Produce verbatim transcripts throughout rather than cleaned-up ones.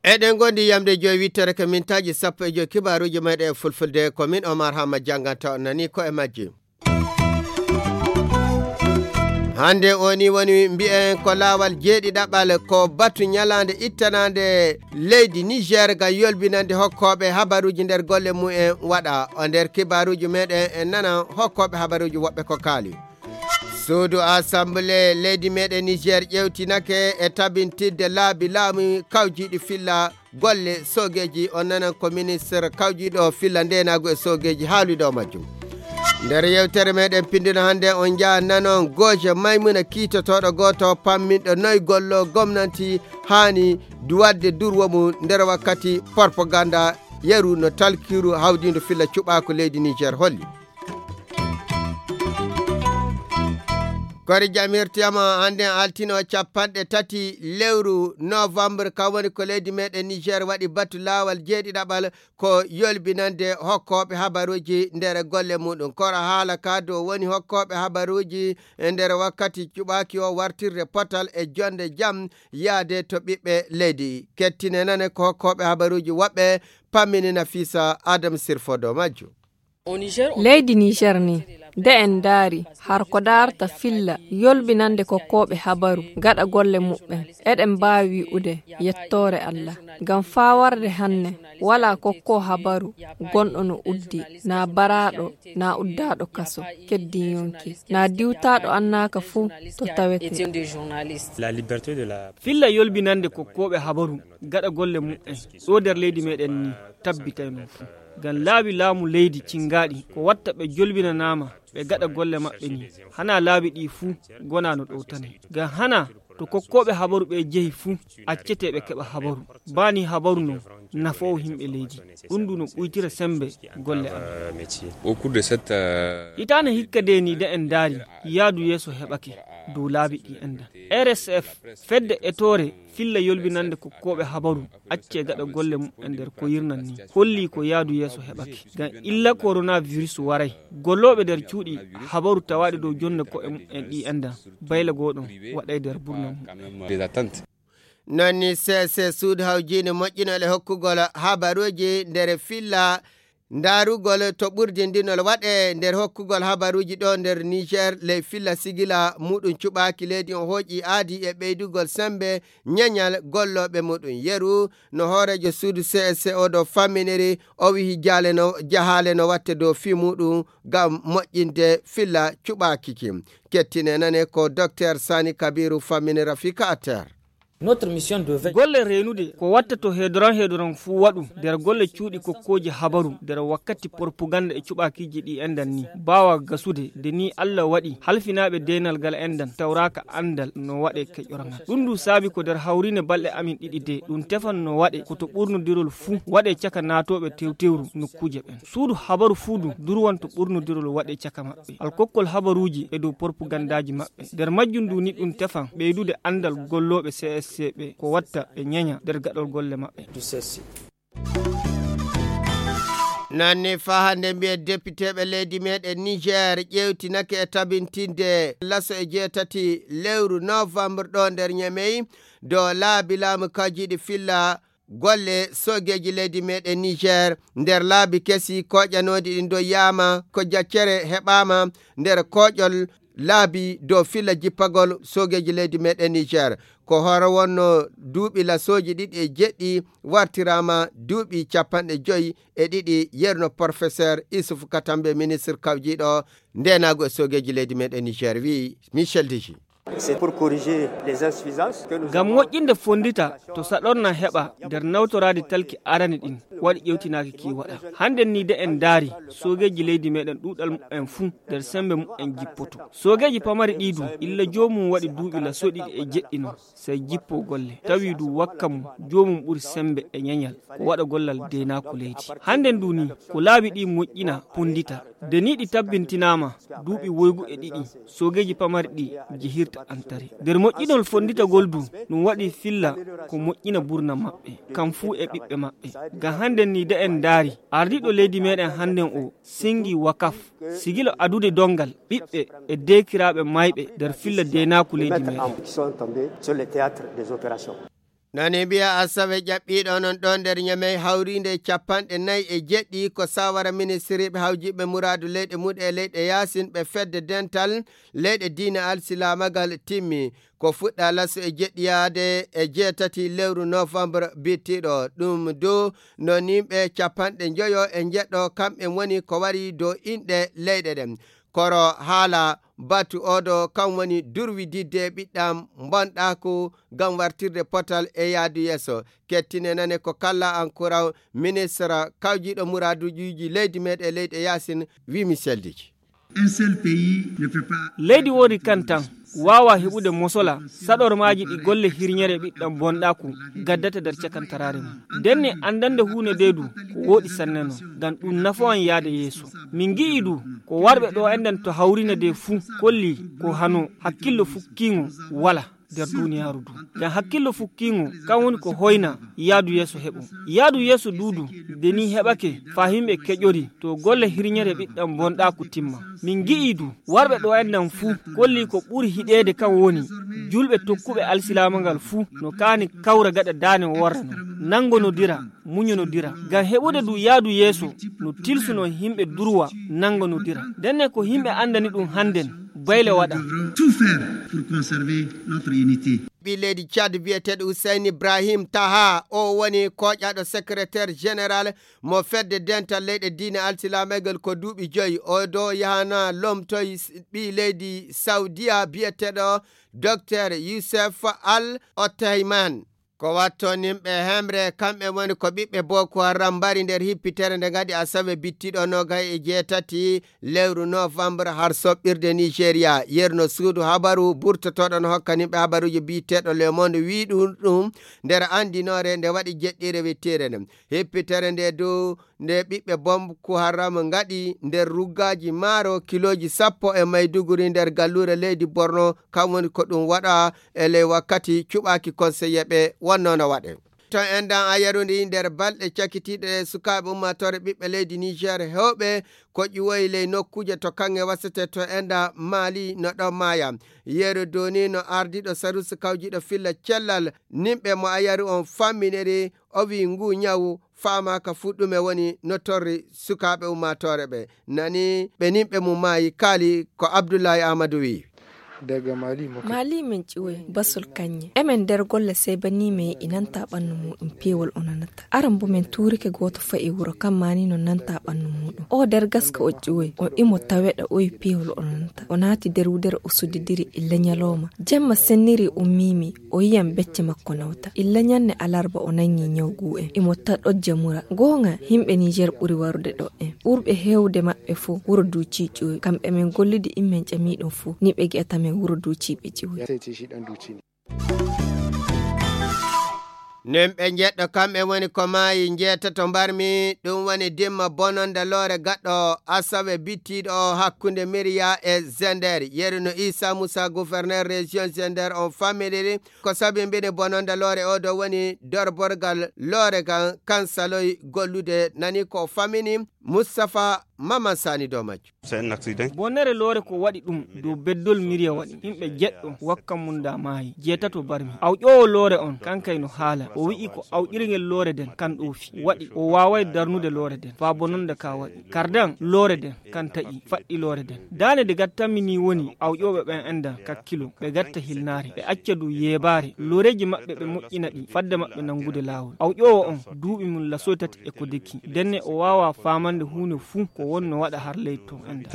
Eɗen ngondi yamde joyi wittere ko mintaaji sappo e joyi kibaaruuji meɗen e fulfulde. Ko min Omar Hama jannganta on nani ko e majji. Hannde o ni woni mbiyen ko laawol jeeɗiɗaɓal, ko batu ñalaande ittanaande leydi Niger ngam yolbinande hokkooɓe habaruuji nder golle mumen waɗa. O nder kibaaruuji meɗen en nana hokkooɓe habaruuji woɓɓe ko kaali. Suudu Assemblée leydi meɗen Niger ƴewtinake e tabintinde laabi laamu kawjiiɗi filla golle soogeeji. On nanan ko ministre kawjiiɗo filla ndeenaagu e soogeeji haaliɗo majjum. Nder yewtere meɗen pindino hannde on njaa nanon gooje Maymuna kiitotooɗo gooto pamminɗo noy gollo gomnanti haani du waɗde durwo mum nder wakkati propaganda yeru no talkiru hawdindo filla cuɓaaku leydi Niger holli. Kori jam hirtiyama hannde altino capanɗe tati lewru novembre, ka woni ko leydi meɗen Niger waɗi batu laawol jeeɗiɗaɓal ko yolbinande hokkooɓe habaruuji nder golle muɗum. Koro haala ka dow woni hokkooɓe habaruuji e nder wakkati cuɓaaki o wartirde potal e jonde jam yaade to ɓiɓɓe leydi. Kettine nane ko hokkooɓe habaruuji woɓɓe pammini Nafisa Adam Sirfo dow majjum. Leydi Niger ni, de en ndaari har ko daarta filla yolbinande kokkooɓe habaru gaɗa golle muɓɓen, eɗen mbaawi wi'ude yettoore Allah. Ngam faa warde hanne, walaa kokkoo habaru gonɗo no uddi, naa baraaɗo, naa uddaaɗo kaso, keddin yonki, naa diwtaaɗo annaaka fuu to tawetee. Filla yolbinande kokkooɓe habaru gaɗa golle muɓɓen ɗo nder leydi meɗen ni tabbitayno fuu. Ngam laabi laamu leydi cingaaɗi ko watta ɓe jolbinanaama ɓe gaɗa golle maɓɓe ni, hana laabi ɗi fuu gona no ɗowtanee. Ngam hana to kokkooɓe habaru ɓe jehi fuu, accetee ɓe keɓa habaru. Baa ni habaru non nafoowo himɓe leydi. Ɗum du no ɓuytira sembe golle amen. Hitaande hikka de ni de en ndaari, yaadu yeeso heɓake dow laabi ɗi enɗan. R S F, fedde etoore filla yolbinande kokkooɓe habaru, accee gaɗa golle muɓɓen nder ko yirnan ni, holli ko yaadu yeeso heɓake. Ngam illa coronavirus waray, gollooɓe nder cuuɗi habaru tawaaɗi dow jonde ko'e muɓɓen ɗi enɗan, bayla goo ɗon waɗay nder burna muɓɓen. Non ni C S C suudu hawjiinde moƴƴinol e hokkugol habaruuji nder filla ndaarugol to ɓurdindinol waɗe nder hokkugol habaruuji ɗo nder Niger, ley filla sigila muɗum cuɓaaki leydi on hooƴi aadi e ɓeydugol sembe ñeñal gollooɓe muɗum. Yeru no hooreejo suudu C S C o ɗo famminiri, o wihi jaale no, jahaale no watte dow fii muɗum ngam moƴƴinde filla cuɓaaki ki. Kettine nane ko Docteur Sani Kabiru famminira fii ka atter. Golle reenude ko watta to heedoran heedoran fuu waɗu nder golle cuuɗi kokkooji habaru nder wakkati propaganda e cuɓaakiiji ɗi enɗan ni. Baawa gasude de ni Allah waɗi halfinaaɓe deenal gal enɗan tawraaka anndal no waɗe keƴorangal. Ɗum du saabi ko nder hawriine balɗe amin ɗiɗi de ɗum tefan no waɗe ko to ɓurnodirol fuu waɗe caka naatooɓe tewtewru nokkuuje ɓen. Suudu habaru fuu du durwan to ɓurnodirol waɗe caka maɓɓe. Alkokkol habaruuji e dow propagandaaji maɓɓe. Nder majjum du ni ɗum tefan ɓeydude anndal gollooɓe C S C ɓe ko watta ɓe ñeña nder gaɗol golle maɓɓe. Nanni faa hannde mbiyen depiteeɓe leydi meɗen Niger ƴeewtinake e tabintinde laso e jeetati lewru novembre ɗo nder Ñamey dow laabi laamu kajiiɗi filla golle soogeeji leydi meɗen Niger nder laabi kesi koƴanooɗi ɗin dow yaama ko jaccere heɓaama nder koƴol laabi dow filla jippagol soogeeji leydi meɗen Niger. Ko hoore wonno duuɓi lasooji ɗiɗi e jeɗɗi wartiraama duuɓi capanɗe joyi e ɗiɗi, yerno professeur Issouf Katambe, ministre kawjiiɗo ndeenaagu e soogeeji leydi meɗen Niger, wi'i Michel Deji. C'est pour corriger les insuffisances que nous Ngam avons. Moƴƴinde fonndita to saɗorna heɓa nder nawtoraade talki arani ɗin, waɗi ƴewtinaaki ki waɗa. Hannden ni de en ndaari, soogeeji leydi meɗen ɗuuɗal mumen fuu nder sembe mumen jippoto. Soogeeji pamari ɗi du, illa joomum waɗi duuɓi laso ɗiɗi e jeɗɗi non, sey jippo golle. Tawi du wakka mum, joomum ɓuri sembe e ñeñal, ko waɗa gollal deenaaku leydi. Hannden du ni, ko laabi ɗi moƴƴina, ponndita. De ni ɗi tabbintinaama, duuɓi woygu e ɗiɗi, soogeeji pamari ɗi jehirta watta antare. Nder moƴƴinol fonnditagol du, ɗum waɗi filla ko moƴƴina burna maɓɓe, kam fuu e ɓiɓɓe maɓɓe. Ngam hannden ni de en ndaari, ardiiɗo leydi meɗen hannden o, singi wakaf, sigilo adude donngal ɓiɓɓe e deekiraaɓe mayɓe nder filla deenaaku leydi meɗen. Nani mbiya asawe ƴaɓɓiiɗo onon ɗo nder ñamey hawriinde e capanɗe nayi e jeɗɗi ko sawara ministiriiɓe hawjiɓe muraadu leyɗe muɗe e leyɗe yaasin ɓe fedde dental leyɗe diina alsilaamagal timmi. Ko fuɗɗa laso e jeɗɗiyaade e jeetati lewru novembre bittiɗo ɗum dow no nimɓe capanɗe njoyo e njeɗɗo kamɓe woni ko wari dow inɗe leyɗe ɗen. Koro haala batu oɗo kam woni durwididde ɓiɗɗam bonɗaaku ngam wartirde potal e yaadu yeeso. Kettine nane ko kalla an kuraw ministre kawjiɗo muraaduuji leydi meɗen leyɗe yaasin wi miseldiji. Leydi woodi kan tan waawa heɓude mosola saɗormaaji ɗi golle hirñere ɓiɗɗam bonɗaaku gaddata nder cakantaraare mum. Ndenne anndande huunde nde du ko wooɗi sanne non, ngam ɗum nafawan yaade yeeso. Min ngi'i du ko warɓe ɗo enɗan to hawrina nde fuu kolli ko hano hakkillo fukkiingo wala nder duniyaaru du. Ngam hakkillo fukkiingo kan woni ko hoyna yaadu yeeso heɓo. Yaadu yeeso duudu nde ni heɓake faa himɓe keƴori to golle hirñere ɓiɗɗam bonɗaaku timma. Min ngi'i du warɓe ɗo enɗan fuu kolli ko ɓuri hiɗeede kan woni julɓe tokkuɓe alsilaama ngal fuu no kaani kawra gaɗa daane worra non, nanngonodira, muñonodira. Ngam heɓude du yaadu yeeso no tilsuno himɓe durwa nanngonodira. Ndenne ko himɓe anndani ɗum hannden bayle waɗa. Ɓii leydi Tchad biyeteeɗo Hussein Ibrahim Taha o woni kooƴaaɗo secrétaire général mo fedde dental leyɗe diine alsilaamegol ko duuɓi joyi o do yahana lomtoy ɓii leydi Saudiya biyeteeɗo Docteur Youssef Al Othayman. Ko watto nimɓe hemre kamɓe woni ko ɓiɓɓe Boko Haram mbari nder hippitere nde ngadi asawe bittiɗo nogay e jeetati lewru novembre har soɓɓirde Nigeria. Yerno suudu habaru burtotoɗo no hokka nimɓe habaruji biyeteeɗo Le Monde wi ɗum ɗum nder andinoore nde waɗi jeɗɗire wittiire nde. Hippitere nde dow nde ɓiɓɓe Boko Haram ngaɗi nder ruggaaji maaro kilooji sappo e Maiduguri nder galluure leydi Borno, kam woni ko ɗum waɗa e ley wakkati cuɓaaki konseyeeɓe wonnoo no waɗe. To enɗan a yarundi nder balɗe cakitiiɗe ɗe sukaaɓe ummaatoore ɓiɓɓe leydi Niger heewɓe ko ƴiwoyi ley nokkuuje to kaŋŋe wasete to enɗan Mali no ɗon maaya. Yeru doni no ardiiɗo sarusi kawjiiɗo filla cellal nimɓe mo a yari on famminiri o wi ngu ñawu faamaaka fuu ɗume woni no torri sukaaɓe ummaatoore ɓe nani ɓe nimɓe mum maayi kaali ko Abdullahi Amadou wi. Mali men ƴiwoy basol kañŋe emen nder golle sey ba ni me e nanta ɓannu muɗum peewol o nanata aran bo men tuurike gooto fa'i wuro kam mani no nanta ɓannu muɗum o nder gaska o ƴiwoy o imo taweɗa oyi peewol o nanata o naati nder wudere o sudidiri illa ñalawma jemma senniri ummimi o yiyan becce makko nawta illa ñanne alarba o nangi ñaw gu'en imo ta ɗojja mura goonga himɓe niger ɓuri warude ɗo'en ɓurɓe heewde maɓɓe fof wuro duuci ƴiwoy kamɓe men gollidi immen ƴamiɗum fof ni ɓe gi'ata men wuro duuciɓe ƴiwoy. Nin ɓe njeɗɗo kamɓe woni ko maayi njeetato mbarmi ɗum woni dimma bononda loore gaɗɗo asawe bittiiɗo o hakkunde miriya e zender yeru no isa musa gouverneur région zender on familiri ko sabimbini bononda loore o ɗo woni dorborgal loore gan kansaloy gollude nani ko famini mustapha maman sani dow majjum. Bonnere loore ko waɗi ɗum dow beddol miriya waɗi yimɓe jeɗɗo wakka mum da maayi jeetato barmi awƴoowo loore on kankay no haala o wi'i ko awƴirgel loore den kan ɗoofi waɗi o waaway darnude loore den faa bononda ka waɗi kardan loore den kan taƴi faɗɗi loore den daane de gattanmi ni woni awƴooɓe ɓen endan kakkilo ɓe gatta hilnaare ɓe acca du yeebaare looreeji maɓɓe ɓe moƴƴina ɗi fadde maɓɓe nanngude laawol awƴoowo on duuɓi mum lasoy tati e ko deki ndenne o waawaa faamande huunde fuu ko wonno waɗa har leydi ton endan.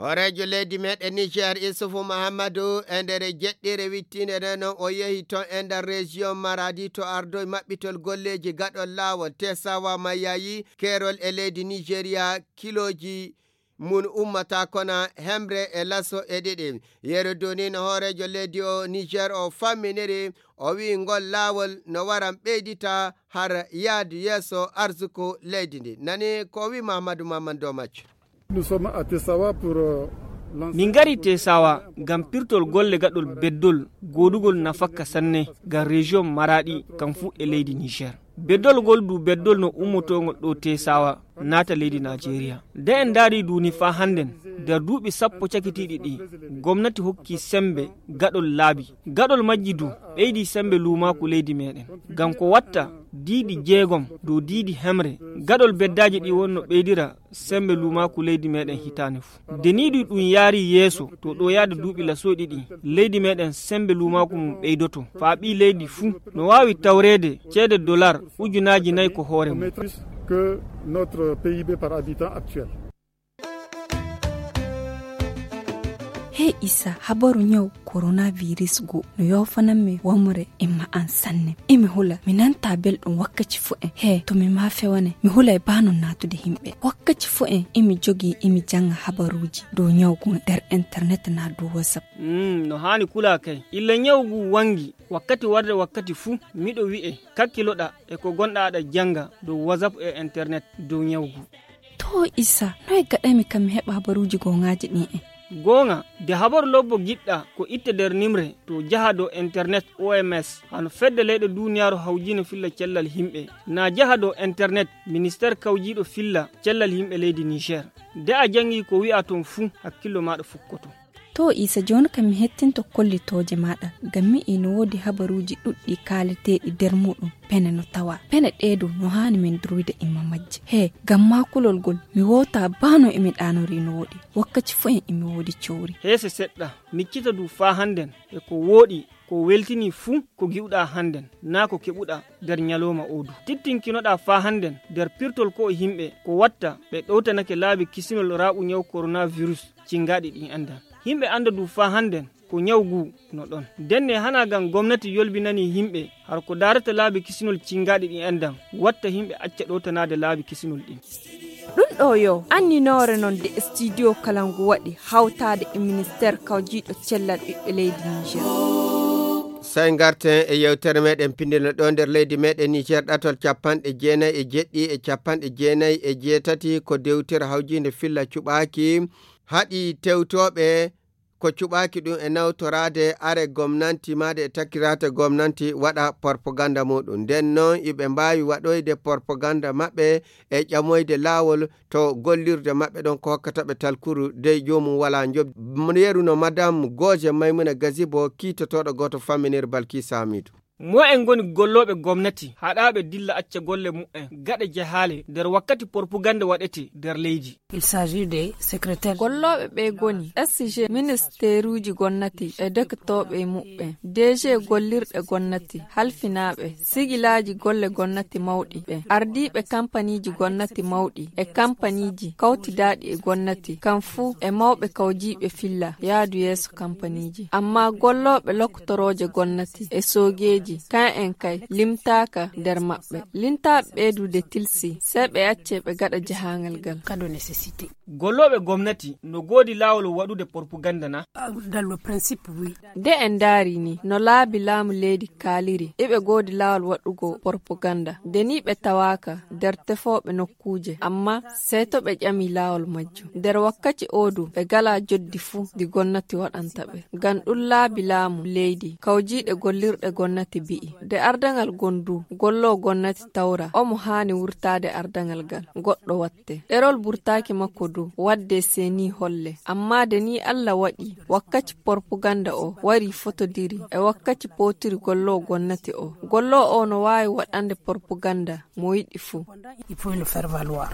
Hooreejo leydi meɗen niger isufu mahammadu e nder jeɗɗire wittiinde nde noon o yehi toon e nder région maradi to ardoy maɓɓitol golleeji gaɗol laawol tesawa mayayi keerol e leydi nigeria kilooji mum ummata kona hemre e laso e ɗiɗi yeru dunino hooreejo leydi o niger o famminiri o wi'i ngol laawol no waran ɓeydita har yaadu yeeso arsuku leydi ndi nani ko o wi'i mahammadu mahammadu dow majjum. Nous sommes à Tessawa pour euh, Min ngari Tesawa ngam pirtol golle gaɗol beddol goodugol nafakka sanne ngam rejiyon Maraɗi kam fuu e leydi Niger. Beddol ngol du beddol no ummotoongol ɗo Tesawa naata leydi Najeriya. Nde en ndaari du ni faa hannden, nder duuɓi sappo cakitiiɗi ɗi, gomnati hokki semmbe gaɗol laabi. Gaɗol majji du ɓeydi semmbe luumaaku leydi meeɗen. Ngam ko watta diidi jeegom dow diidi hemre, gaɗol beddaaji ɗi wonno ɓeydira semmbe luumaaku leydi meeɗen hitaande fuu. Nde nii du ɗum yaari yeeso to ɗo yaada duuɓi lasooɗi ɗi, leydi meeɗen semmbe luumaaku mum ɓeydoto. Faa ɓii leydi fuu no waawi tawreede ceede dolar ujunaaji nayi ko hoore mum. Que notre P I B par habitant actuel. Hey Isa, habaru ñaw coronavirus go no yoofanammi wamre e ma'an sanne. Emi hula, mi nanta belɗum wakkaci fu en. He, to mi ma fewane, mi hulay baa non naatude himɓe. Wakkaci fu en emi jogii emi janga habaruuji dow ñaw go nder internet na dow WhatsApp. Mm, no haani kulaa kay. Illa ñaw gu wangi, wakkati warde wakkati fu, miɗo wi'e, kakkiloɗa e ko gonɗa aɗa janga dow WhatsApp e internet dow ñaw gu. To Isa, noy gaɗaymi kam mi heɓa habaruuji gooŋaaji ɗin en? Gooŋa, de habaru lobbo giɗɗa ko itte nder nimre to jaha dow internet O M S, hano fedde leyɗe duuniyaaru hawjiino filla cellal himɓe. Na jaha dow internet ministeer kawjiiɗo filla cellal himɓe leydi Niger. De a jangi ko wi'a ton fuu, hakkillo maaɗa fukkoto. To Isa, jooni kam mi hettinto kollitooje maaɗa, ngam mi yi'i no woodi habaruuji ɗuɗɗi kaaleteeɗi nder muuɗum pene no tawa. Pene ɗee du no haani min durwida imma majje. He, ngam maa kulol ngol, mi wootaa baa no emi ɗaanori no woodi. Wakkaci fu en emi woodi cowri. Heese seɗɗa, miccita du faa hannden e ko wooɗi, ko weltini fuu ko gi'uɗaa hannden, naa ko keɓuɗaa nder ñalooma oo du. Tittinkinoɗaa faa hannden nder pirtol ko'o himɓe ko watta ɓe ɗowtanake laabi kisinol raaɓu ñaw coronavirus cingaaɗi ɗin enɗan. Himɓe annda du faa hannden ko ñaw gu no ɗon. Ndenne hanaa ngam gomnati yolbinanii himɓe har ko daarata laabi kisinol cingaaɗi ɗin enɗan, watta himɓe acca ɗowtanaade laabi kisinol ɗin. Ɗum ɗo yo anninoore non de studio Kalangu waɗi hawtaade e ministeer kawjiiɗo cellal ɓiɓɓe leydi Niger. Sey ngarten e yewtere meɗen pindino ɗo nder leydi meɗen Niger, ɗatol capanɗe jeenayi e jeɗɗi e capanɗe jeenayi e jeetati ko dewtere hawjiinde filla cuɓaaki haɗi tewtooɓe ko cuɓaaki ɗum e nawtoraade are gomnanti maade e takkiraate gomnanti waɗa porpoganda muɗum. Nden noon iɓe mbaawi waɗoyde porpoganda maɓɓe e ƴamoyde laawol to gollirde maɓɓe ɗon ko hokkata ɓe talkuru dey joomum wala njoɓdi. Yeru no Madame Goje Maymuna Gazibo kiitotooɗo gooto famminir Balki Samidu. Mo'en ngoni gollooɓe gomnati haɗaaɓe dilla acca golle mu'en gaɗa jahaale nder wakkati porpuganda waɗete nder leydi. Il s'agit des secrétaires. Gollooɓe ɓe ngoni S G, ministeruuji gonnati e doktooɓe muɓɓen, D G gollirɗe gonnati, halfinaaɓe, sigilaaji golle gonnati mawɗi ɓen, ardiiɓe kampaniiji gonnati mawɗi e kampaniiji kawtidaaɗi e gonnati, kam fuu e mawɓe kawjiiɓe filla yaadu yeeso kampaniiji. Ammaa gollooɓe loktorooje gonnati e soogeeji, kan en kay limtaaka nder maɓɓe. Lintaaɓe ɓeydude tilsi, sey ɓe accee ɓe gaɗa jahaangal ngal. Gollooɓe gomnati no goodi laawol waɗude porpuganda na? Dans le principe, oui. Nde en ndaari ni, no laabi laamu leydi kaaliri, iɓe goodi laawol waɗugo porpuganda. Nde ni ɓe tawaaka nder tefooɓe nokkuuje, amma sey to ɓe ƴami laawol majjum. Nder wakkati oo du, ɓe ngalaa joddi fuu ndi gomnati waɗanta ɓe. Ngam ɗum laabi laamu leydi, kawjiiɗe gollirɗe gomnati bi'i, nde ardangal ngon du, golloo gomnati tawra, omo haani wurtaade ardangal ngal, goɗɗo watta. Ɗerol burtaaki makko du, wadde seni holle. Amma nde ni Allah waɗi, wakkati porpuganda o wari fotodiri e wakkati pootiri golloo gomnati o. Golloo o no waawi waɗande porpuganda mo yiɗi fuu. Il faut le faire valoir.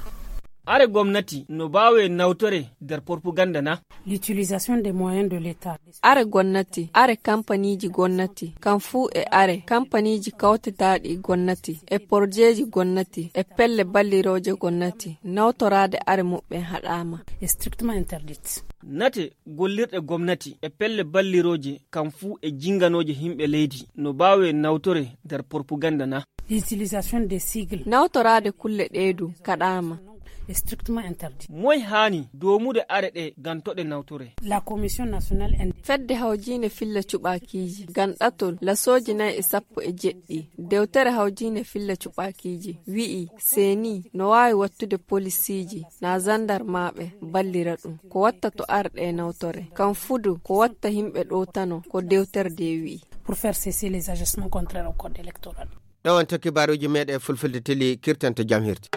Are gomnati no baawe nawtore nder porpuganda na? L'utilisation des moyens de l'État. Are gomnati, are kampaniiji gomnati, kam fuu e are, kampaniiji kawtitaaɗi gomnati, e porjeeji gomnati, e pelle ballirooje gomnati, nawtoraade are muɓɓen haɗaama. Est strictement interdite. Nate gollirɗe gomnati e pelle ballirooje kam fuu e jinganooje himɓe leydi no baawe nawtore nder porpuganda na? L'utilisation des sigles. Nawtoraade kulle ɗee du kaɗaama. Est strictement interdit. Moy haani doomude are ɗe gantoɗe nawtore? La Commission nationale ind- Fedde hawjiinde filla cuɓaakiiji ganɗatol lasooji nayi e sappo e jeɗɗi dewtere hawjiinde filla cuɓaakiiji wi'i seeni no waawi wattude polisiiji na zandarmaaɓe ballira ɗum ko watta to arɗe e nawtore kam fudu ko watta yimɓe ɗowtano ko dewtere de wi'i. Pour faire cesser les agissements contraires au code électoral. Ɗo wonto kibaaruuji meeɗen fulfulde teli kirtanto jam hirde.